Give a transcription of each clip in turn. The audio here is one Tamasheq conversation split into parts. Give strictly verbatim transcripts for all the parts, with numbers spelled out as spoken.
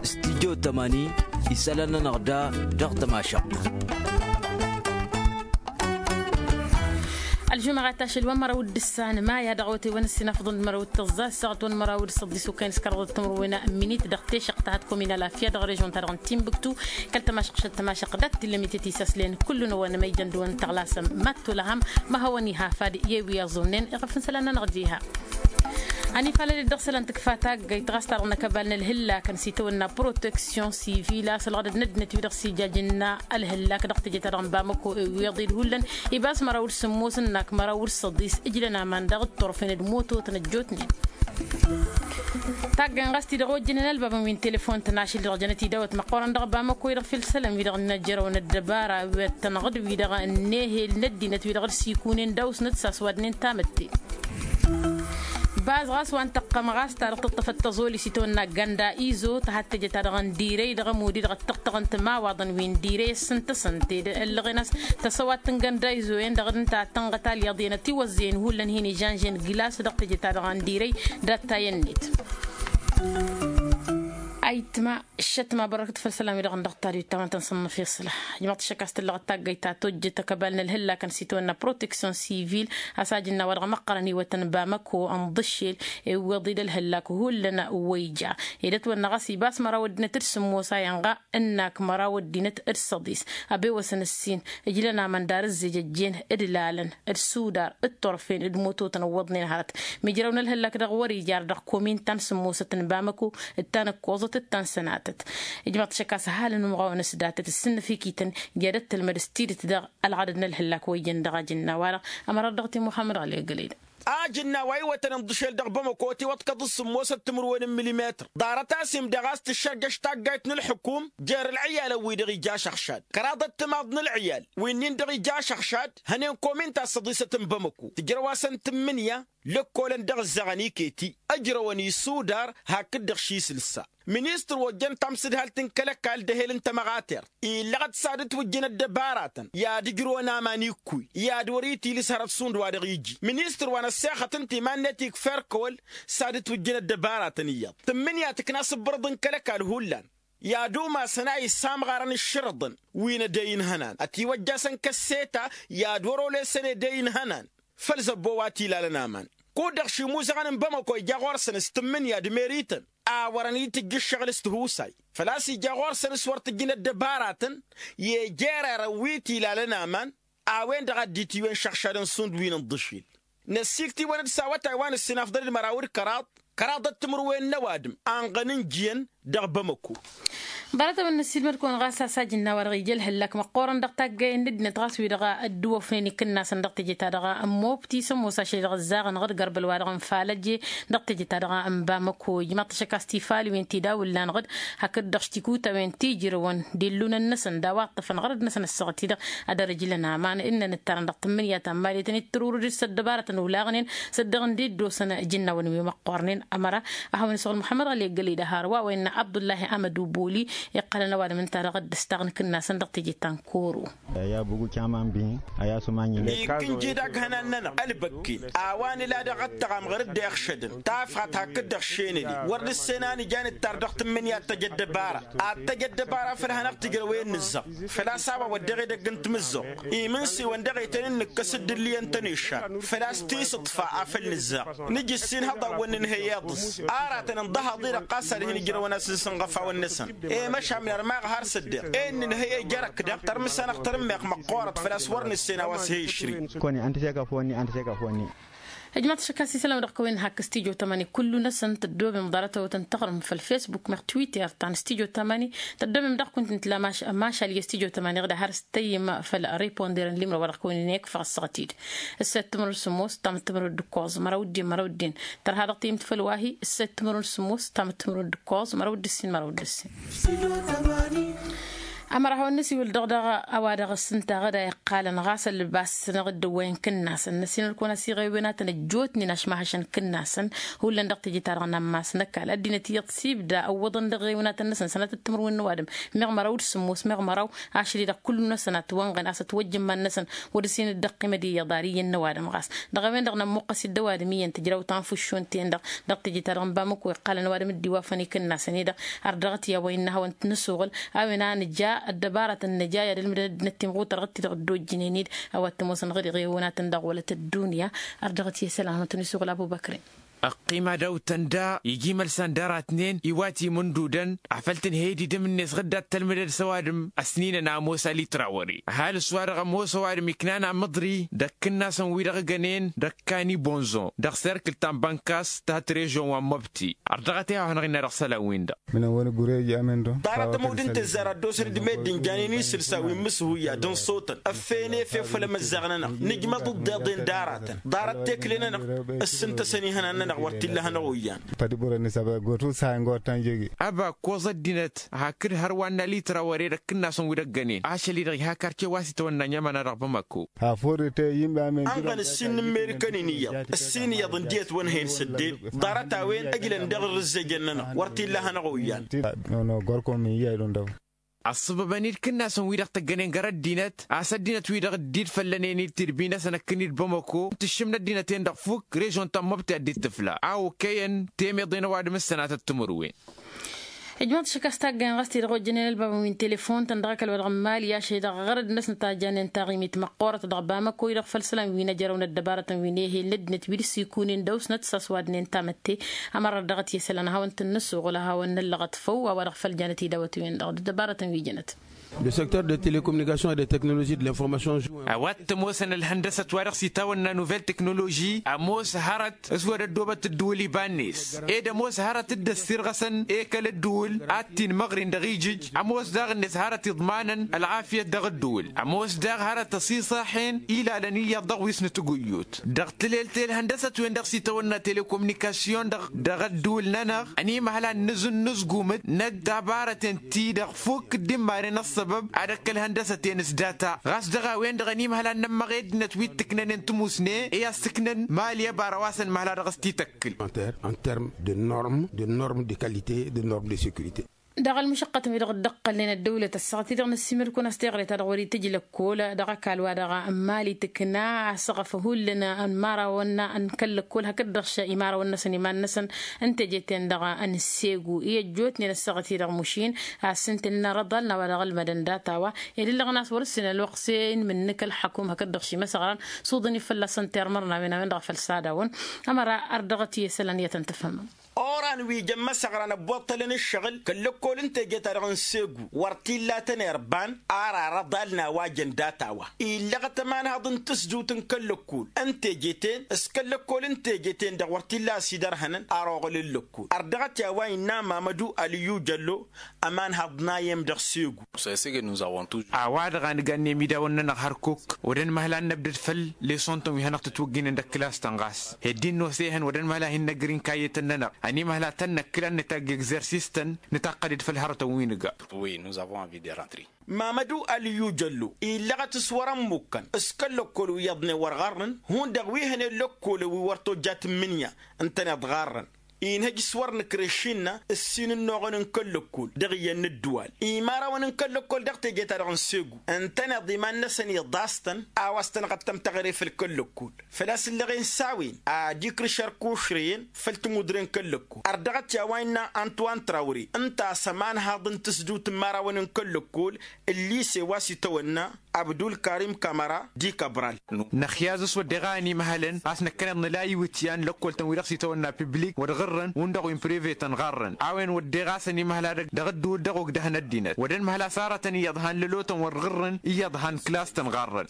Studyo tămani isălan-nănăɣ da dăɣ-tămašăɣt. Ălžumăɣat ašăl wa n-măraw d-ǝssan maya dăɣ-awătay wa n-ǝssin afḍăn d-măraw d-tăẓẓa s-săɣăt wa n-măraw d-săḍis okăyăn s-kăraḍăt timǝrwen n-minit dăɣ-tešăɣt ta hăt komina lafya dăɣ-režon-ta-dăɣ n-timbuktu. Kăl-tămašăɣt šăl tămašăɣt dat-t-illa mitet isaslen kullu n-ăwănămăy jăn d-wăn tăɣlasăm mad-tolăhăm. Ma hawăn-iha fad i-wi ăẓunnen iɣăf n-isălan-nănăɣ diha. Ănifalăl-dd dăɣ-isălan tǝkfa taggayt ɣas ta-dăɣ n-akăbal n-ălhǝllakăn s-itawănna proteksyon sivil a-s ălɣădăd n-ăddinăt-wi-dăɣ s-ijaj ǝnna ălhǝllak dăɣ-teje-ta-dăɣ n-bamăko iwweḍ-dd hullan. Ibas măraw d-sǝmmos ǝnnak măraw d-săḍis ǝjlăn aman daɣ d-turfen d-mototăn ăjjootnen. Taggayt ɣas-t-i-dăɣ ojjănen ălbabăn wi n-telefon-tăn ašăl-i-dăɣ jănăt idawăt măqqoorăn dăɣ-bamăko-i-dăɣ făll-isălan-wi-dăɣ n-ajrăwăn ăddăbara wi ăttănăɣ-dd wi-dăɣ ănnehel n-ăddinăt-wi-dăɣ dd-sikunen d-ausnăt s-aswadnen tamǝtte. Baz ɣas wa n-tăqqăm ɣas ta dăɣ-tǝṭṭăfăt tăẓoli s-itawănna gănda izo tăhadd teje-ta-dăɣ n-dirăy dăɣ-ămud-i-dăɣ ăttăɣtăɣăn timawaḍăn wi n-dirăy ăssintăsăn tedăllăɣen a-s tăsăwat n-gănda izo-en dăɣ-dd-ǝnta tănɣăt alyaḍ i-anătiwăzzăyăn hullan hin-ižănžen glas dăɣ-teje-ta-dăɣ n-dirăy. Dat-tayănnet. Ayǝtma šătma bărrăkăt făll-isălan-wi-dăɣ n-dăɣ-taduyt ta wa n-tăn-sănnăf i-isǝla. Ijmăḍ-t šăkk a-s tǝllăɣăt taggăyt ta tojjăt akăbal n-ălhǝllakăn s-itawănna proteksyon sivil a-s ajǝnna wa dăɣ-măqqărăn iwătăn bamăko ǝnḍǝššel iwweḍ-dd ălhǝllak hullan. Wăyja edăt-wănna ɣas ibas măraw ăddinăt d-sǝmmos a inɣa ǝnnak măraw ăddinăt d-săḍis. Ăbewăsăn ǝssin ǝjlăn aman dar ǝzzej ăjjeen d-lalăn d-sudar d-turfen d-mototăn ǝwwăḍnen hărăt. Mijrăw n-ălhăllak dăɣ-wăr-ijar dăɣ-komin ta n-sǝmmosăt n-bamăko d-ta n-ǝkkoẓăt d-ta n-sănatăt. Ijmăḍ-t šăkk a-s ăhalăn umɣawăn s-datăt ǝssǝnnăf ikităn i-ad-ăttălmăd s-tidǝt dăɣ-ălɣădăd n-ălhǝllak wa ijăn dăɣ-ajǝnna-wa-dăɣ. Ămărat dăɣ-ti muhămmăd ɣăli ăggălăy-dăɣ. Ajǝnna wa iwătăn ǝnḍǝšel dăɣ-bamăko tiwăḍkăḍ s-sǝmmosăt timǝrwen n-milimetăr ḍarăt-as imdăɣ a-s tǝššărjăš taggayt n-ǝlḥǝkum. Jer-ǝlɣǝyalăn-wi-dăɣ ija ašăɣšad kăraḍăt timaḍ n-ǝlɣǝyal wi-nin-dăɣ ija ašăɣšad hănen komin ta s-săḍisăt n-bamăko tǝjrăw-asăn tǝmmǝnǝya. Lăkkolăn dăɣ-ǝzzăɣăn iketi ǝjrăwăn isudar hakd-dăɣ šisǝlsa. Ministăr wa ojjăn tamsǝdhalt n-kăl-ăkall d-ehel n-tămăɣatert illăɣăt s-ad-ǝtwǝjj n-ăddăbaratăn i-ad-ǝjrǝwăn aman ikkuy i-ad-wăr-itilǝs hărăt šund wa dăɣ-iji ministăr wa n-ăssexăt ǝnta iman-net ikfa erkăwăl. S-ad-ǝtwǝjj n-ăddăbaratăn iyyăḍ tǝmmǝnǝya tǝkna s-ǝbbărǝḍ n-kăl-ăkall hullan i-ad-umasăn a issamɣarăn ǝššărǝḍăn wi n-edăy n-ihănan ătiwăjjasăn kăsseta i-ad-wăr-olesăn edăy n-ihănan. Făll-zăbbo wa t-ilalăn aman kud-dăɣ šimuzăɣăn n-bamăko ija ɣur-săn s-tǝmmǝnǝya d-merităn a wărăn itǝjj ǝššăɣǝl s-tihusay făl-a-s ija ɣur-săn s-wăr tǝjjǝn ăddăbaratăn i-jererăn wi t-ilalăn aman. A-wen-dăɣ a dd-itiwen šăɣšadăn šund wi n-ǝnḍǝšil năssikt'-iwăn d-s awătay wa n-ǝssin afḍăl d-măraw d-kăraḍ kăraḍăt timǝrwen n-ăwadǝm anɣăn n-ijjǝyăn dăɣ-bamăko. Ḍarăt-awăn năssiilmăd-kăwăn ɣas a-s ajǝnna-wa-dăɣ ija ălhǝllak măqqoorăn dăɣ-taggayăn n-ăddinăt ɣas wi-dăɣ ăddǝwăfnen ikǝnnasăn dăɣ-teje-ta-dăɣ n-mobti s-ămoos ašăl-i-dăɣ ǝzzaɣănăɣ d-gărbăl-wa-dăɣ n-falăje dăɣ-teje-ta-dăɣ n-bamăko ijmaḍ-t ašăk a-s tifalwen ti d-awǝllanăɣ-dd hakd-dăɣ s-tikutăwen ti ijrăwăn d-illunăn-năsăn d-a-wa ǝṭṭăfănăɣ dăr-năsăn ăssaɣăt-i-dăɣ ad-ărǝjlăn aman ǝnnăn ǝttarăn dăɣ-tǝmmǝnǝya ta n-maliyătăn ittărurǝd-s ăddăbarătăn olaɣnen s-ăddăɣ n-dd-dd-osăn ijǝnnawăn wi măqqoornen. Ămăra ad-hawăn-isăɣǝl muḥămmăd ɣăli ăggălăy d-ăharwa wa innă abdullahi amădu boli iqqălăn ăwadǝm ǝnta-dăɣ dd-ǝstaɣ n-ikǝnnasăn dăɣ-teje ta n-koro. Ikǝnji d-aghănan-nănăɣ ălbăkken a-wa nǝla dăɣ-ăttăɣam ɣur-dd-iɣšădăn tafɣat hakd-dăɣ šenăli wăr nǝssen a nǝja nǝttar dăɣ-tǝmmǝnǝya ad-tăj ăddăbara ad-tăj ăddăbara făll-hanăɣ-tǝjrăwen nǝzzăɣ. Făl-a-s a-wa wădden edăgg n-timǝzzuɣt imǝnsiwăn dăɣ-e tăn-in-nǝkkăs dd-ǝlliyăn-tăn iššar făl-a-s tisǝḍfa a făl nǝzzăɣ. Nǝj ǝssin hăḍawăn nǝnhăy iḍǝs aratăn ǝnḍăhaḍ-i-dăɣ ɣas ad-hin ǝjrăwăn a-s ǝnsǝnɣăfawăn-năsăn. I-măšan n-armaɣ har s-ăddeɣ e n-nǝnhăy ejăr ăkk-dăɣ tărmǝs-anăɣ tărǝmmeɣ măqqoorăt făl-a-s wăr nǝssen a-wa s-he-išri. Ijmaḍ-t ašăk a-s isălam dăɣ-kăwăn hakk studyo tămani kullu-năsăn tăddomem ḍarăt-awătăn tăɣrǝm făll-facebook meɣ twitter ta n-studyo tămani. Tăddomem dăɣ-kunt n-tǝla mašal i-studyo tămani ɣǝd a har s-tăyyǝm făll-riponder n-limrăw wa dăɣ-kăwăn-in-ikfăɣ ăssaɣăt-dd. Ǝssăyăt timǝrwen s-sǝmmos tamǝt timǝrwen d-ǝkkoẓ măraw d-ǝddin măraw d-ǝddin tărha dăɣ-tiyǝmt făll-wa-hi ǝssăyăt timǝrwen s-sǝmmos tamǝt timǝrwen d-ǝkkoẓ măraw d-ǝssin măraw d-ǝssin. Ămăra hawăn-nǝsiwǝl dăɣ-dăɣ a-wa dăɣ-s ǝnta ɣǝd a iqqalăn ɣas ălbas-năɣ dd-ăwwăyăn kǝnnasăn năsinăl-kăwăn a-s iɣewen-atăn ăjjootnen ašmahašăn kǝnnasăn. Hullan dăɣ-teje-ta-dăɣ n-ammas n-ăkall ăddinăt iyyăḍ s-ibda ǝwwăḍăn dăɣ-ewen-atăn-năsăn sănatăt timǝrwen n-ăwadǝm meɣ măraw d-sǝmmos meɣ măraw ašăl-i-dăɣ kullu-năsăn ătwănɣăn a-s ătwăjjǝmman-năsăn. Wăr-ăsinăt dd-ăqqimăd iyyăḍ ar iyyăn n-ăwadǝm ɣas dăɣ-a-wen-dăɣ nămmuqqăs-dd ăwadǝm iyyăn tǝjraw tanfǝššun-ten-dăɣ. Dăɣ-teje-ta-dăɣ n-bamăko iqqalăn ăwadǝm dd-iwafăn i-kǝnnasăn-i-dăɣ. Ar dăɣ-t i-a-wa innă a hawăn-t-nǝsuɣǝl a-wen a nǝja ăddăbarătăn nǝja i-ad-ǝlmǝdăn ăddinăt timɣutărɣăt-ti-dăɣ dd-ojjǝnen-dd. A-wa t-ămoosăn ɣǝd iɣewnatăn dăɣ-wălăt ăddunya. Ar dăɣ-t i-isălan a hawăn-t-nǝsuɣǝl abu băkre. Ăqqima daw-tăn da iji imălsan d-aratnen iwat imǝndudăn. Afăl tǝnhăy d-idǝm-net ɣǝdda t-tălmǝdăd s-ăwadǝm ăsninăn a ămoos alitrăwăre ăhalǝs wa-dăɣ ămoos ăwadǝm iknan amǝḍri d-ăkk ǝnnasăn wi-dăɣ ǝgănen d-ăkkan ibonzo dăɣ-serkǝl ta n-bănkas ta t-režon wa n-măbti. Ărdăɣăt i-ad-hanăɣ-innă dăɣ-isălan-win-dăɣ. Ḍarăt ămudd n-tǝzzar ad-dd-osăn d-meddǝn janen isǝlsa wi n-imǝshuyyad n-iṣutăn ăffeyăn efew făll-emăzzaɣ-nănăɣ nǝjmăḍ ǝḍḍeḍen d-aratăn. Ḍarăt tekle-nănăɣ ǝssǝntăsăn ihănan-nănăɣ wăr t-illa hanăɣ-oyyan. Pădibărăn isăba gotu saha n-gotan jege. Ăba ăkkoẓ ăddinăt hakd hărwa n-alitrawăre d-ăkkǝnnasăn wi d-ăggănen ašăl-i-dăɣ iha karce wa s-itawănna n-i-ămăna dăɣ-bamako. Hafurrite i-inba amen. Ănɣăn ǝssin n-amerikan-in iyyăḍ ǝssin iyyăḍ ǝndiyăt wăn hen sădden. Ḍarăt-a-wen ăjlăn dăɣ-irrǝzzejăn-nănăɣ wăr t-illa hanăɣ-oyyan. Nono gorkom iyyăy d-undăw. Ăṣṣăbăbăn-dd kǝnnasăn-wi-dăɣ tăggănen gar ăddinăt a-s ăddinăt-wi-dăɣ dd-făllănen-dd tidbi-năsăn ăkkǝn-dd bamăko tǝššǝm n-ăddinăt-en-dăɣ fukk režon ta n-măbti a dd-tǝfla a okăyăn temeḍe n-ăwadǝm s-sănatăt timǝrwen. Ijmaḍ-t šik a-s taggăyăn ɣas ti-dăɣ ojjănen ălbabăn wi n-telefon-tăn dăɣ-ăkall wa dăɣ-n mali ašăl-i-dăɣ ɣărăd-năsnăt a janen taɣimit măqqoorăt dăɣ-bamăko-i-dăɣ făll-isălan wi n-ejărăw n-ăddăbarătăn wi n-ehel n-ăddinăt wi d-sikunen dăw-snăt s-a-s wadnen tamătte. Ămăra ărdăɣăt i-isălan ad-hawăn-t-ǝnnǝsuɣǝl ad-hawăn-năllăɣăt făw a-wa dăɣ-făll janăt idawăt-wen-dăɣ d-ăddăbarătăn wi jănăt. Le secteur de telecomunication et de technologie de l'information. A-wa t-ămoosăn ălhăndăsăt wa dăɣ-s itawănna nouvelle technologie ămoos hărăt s-wăr ăddoobăt ǝddǝwǝl iba-net. Ed ămoos hărăt dd-ăssirɣăsăn ekăl ǝddǝwǝl ad-t-inmăɣrin dăɣ-ijǝj. Ămoos daɣ-net hărăt iḍmanăn ălɣafyăt dăɣ-ǝddǝwǝl. Ămoos daɣ hărăt ăṣiṣaḥen ilalăn iyyăḍ dăɣ-wi s-nǝtǝguyyut dăɣ-tǝlelt i-ălhăndăsăt-wen-dăɣ s-itawănna telekomunikasyon dăɣ-ăddǝwǝl-nănăɣ. Ănimăhăl ad-nǝzǝnnǝzgumăt n-ăddăbarăten-ti-dăɣ fukk dd-immaren ăṣṣăbăb ad-ăkk ălhăndăsăt-en s-data ɣas dăɣ-a-wen-dăɣ ănimăhăl ad-nămmăɣ i-ăddinăt wi t-ǝknănen tǝmusne i-ad-sǝknăn mali ăbara wa s-ănmăhăl a dăɣ-s t-ităkkǝl. En terme de norme de norme de qualité de norme de sécurité. Dăɣ-ălmǝšăqqătăn-wi-dăɣ dd-ăqqălnen ăddăwlăt ăssaɣăt-i-dăɣ năssiimăr-kăwăn a-s teɣăre ta dăɣ-wăr-itǝj lăkkol dăɣ-ăkall wa dăɣ-n mali tǝkna asăɣăf hullan n-imărawăn n-kăl-lăkkol hakd-dăɣ š-imărawăn-năsăn iman-năsăn n-teje-ten-dăɣ n-segu i-ăjjootnen ăssaɣăt-i-dăɣ mušin. A-s ǝnta ǝnna răḍal n-a-wa dăɣ-ălmădăn data-wa ed ǝllăɣăn a-s wăr-ǝssin ălwăqq s-e-inmǝnnǝk ălxăkum hakd-dăɣ šimăsăɣran s-uḍǝn-i fălla-săn termăr n-a-wen a-wen-dăɣ a făl s-ad-awăn. Ămăra ărdăɣăt i-isălan iyyăt ăntăfhămăm. Oran wi jăn măsăɣran ăbboṭṭălăn ǝššăɣǝl kăl-lăkkol n-teje-ta-dăɣ n-segu wăr t-illa tăn-irban. Ar arăḍal n-a-wa jăn data-wa illăɣăt ămanhaḍ n-tǝsdut n-kăl-lăkkol n-teje-ten s-kăl-lăkkol n-teje-ten-dăɣ wăr t-illa a-s idărhănăn. Ar oɣǝl n-lăkkol ărdăɣăt i-a-wa innă mamădu ălǝyyu jăllo ămanhaḍ n-a iyyăm dăɣ-segu. A-wa-dăɣ a nǝgannem idawăn-nănăɣ hărkuk wăr dd-ănmăhla ad-năbdăd făll-leson-tăn wi hanăɣ-tǝtwǝggǝynen dăɣ-kǝlas-tăn ɣas hed-in-nos ehăn wăr dd-ănmăhla ad-hin-năgr inkayyătăn-nănăɣ. Ănimăhla ad-tăn-năkkǝl ad-nǝtagg egzersis-tăn nǝtaqqăd-dd făll-hărătăn wi nǝga. Mamădu ălǝyyu jăllo illăɣăt s-wăr-ămmukkăn s-kăl-lăkkol wi iyyăḍnen wăr ɣarrăn hundăɣ wi hănen lăkkolăn wi wăr tojja tǝmmǝnǝya ǝntăneḍ ɣarrăn. Inhăj s-wăr nǝkreš innă ǝssin ǝnnuɣăn n-kăl-lăkkol dăɣ-iyyăn n-ǝddǝwal imărawăn n-kăl-lăkkol dăɣ-teje-ta-dăɣ n-segu ǝntăneḍ iman-năsăn iḍas-tăn. A-wa s-tănɣăt tăm-tăɣre făll-kăl-lăkkol făl-a-s ǝllăɣen s-a-wen ad-ikrǝš ărkušrăyăn făll-timudre n-kăl-lăkkol ărdăɣăt i-a-wa innă antuwan trawre ǝnta a-s ămanhaḍ n-tǝsdut n-imărawăn n-kăl-lăkkol ǝllise wa s-itawănna abdul karim kamăra. D-ikăbral. Năxyaz s-wădden a ănimăhălăn a-s năkkăneḍ nǝla iwǝtyan lăkkol-tăn wi dăɣ-s itawănna piblik wăr ɣǝrrăn hundăɣ wi n-prive-tăn ɣarrăn a-wen wădden ɣas ănimăhăl a dăɣ-ăddǝwǝl dăɣ-ogdăhăn ăddinăt wăr dd-ănmăhăl a-s arătăn iyyăḍ han lălotăn wăr ɣǝrrăn iyyăḍ han klas-tăn ɣarrăn.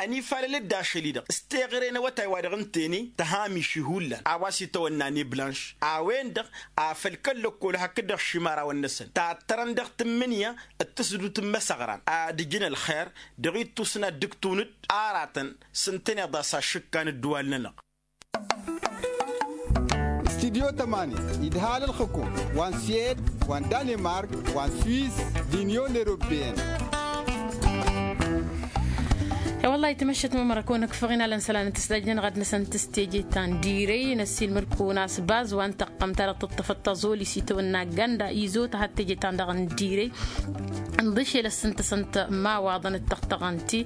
Ănifalăl-dd ašăl-i-dăɣ s-teɣăre n-awătay wa dăɣ-ǝntăne tăhamiši hullan a-wa s-itawănna neblanš a-wen-dăɣ afăl kăl-lăkkol hakd-dăɣ šimărawăn-năsăn tattărăn dăɣ-tǝmmǝnǝya d-tǝsdut n-imăsăɣran ad-ǝjǝn ălxer dăɣ-ittusna d-ǝktunǝd aratăn s-ǝntăneḍ a-s ašǝkka n-ǝddǝwal-nănăɣ. Studyo tămani idhal ălxǝkum wa n-suwed wa n-danemark wa n-suwis d-inyon eropeyăn. Wăllah itmăššăt mămăra kăwăn-ăkfăɣ inalăn isălan n-tǝstajjăn ɣad-năsăn tǝstejăy ta n-direy năssiilmăd-kăwăn a-s bazwa n-taqqămt ta dăɣ-tǝṭṭăfăt taẓoli s-itawănna ganda izo tăhat tejăy ta n-dăɣ n-direy. Ǝnḍǝšel ăssintăsăn-t imawaḍăn d-tăɣtăɣăn-ti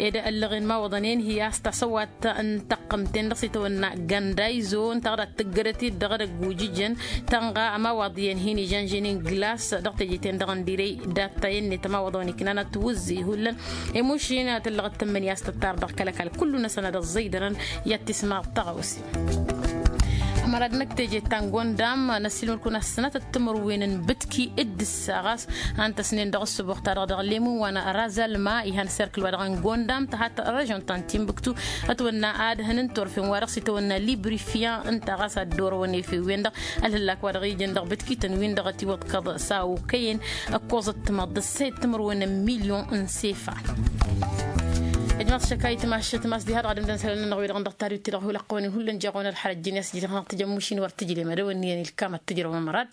ed ăllăɣen imawaḍăn-en hi-a-s tasăwat n-taqqămt-en-dăɣ s-itawănna ganda izo ǝnta ad-tǝggărăt-dd dăɣ-edăgg ujǝjăn tănɣa ămawaḍ iyyăn hin-ižănžănen glas dăɣ-teje-ten-dăɣ n-direy. Dat-ta i-net ămawaḍăn iknan ad-tiwǝzzǝy hullan. Emušin tǝllăɣ d-tǝmmǝnǝya a-s tǝttar dăɣ-kăl-ăkall kullu-năsăn ad-ăẓẓăydărăn i-ad-tismaḍ taɣăwse. Ămăra d-năkk teje ta n-gondam năssiilmăd-kăwăn a-s sănatăt timǝrwen n-ibǝtki dd-ǝssa ɣas a ǝntăsnen dăɣ-ǝssǝboɣ-ta-dăɣ dăɣ-lemǝn wa n-razalma ihan serkǝl-wa-dăɣ n-gondam tăhat režon ta n-timbǝktu. Ătwănna ad-hăn n-turfen-wa-dăɣ s-itawănna librifyan ǝnta ɣas ad-dd-orăwăn efew-en-dăɣ ălhǝllak-wa-dăɣ ijăn dăɣ-bǝtkităn-win-dăɣ ătiwăḍkăḍ s-a okăyăn. Ăkkoẓăt timaḍt d-ăssayăt timǝrwen n-milyon n-sefa. Ijmaḍ šăkayt mašăt mas diha-dăɣ ad-ǝmdăn isălan-nănăɣ wi-dăɣ n-dăɣ tariwt-ti-dăɣ hulăqqăwăn-in hullan jeɣ-wen ălxărăt ǝjjǝn i-a-s jidăɣ-năɣ tǝjămmuš-in wăr tǝjlem ad-ăwănniyăn ilkam ad-tǝjrăwăm ărad.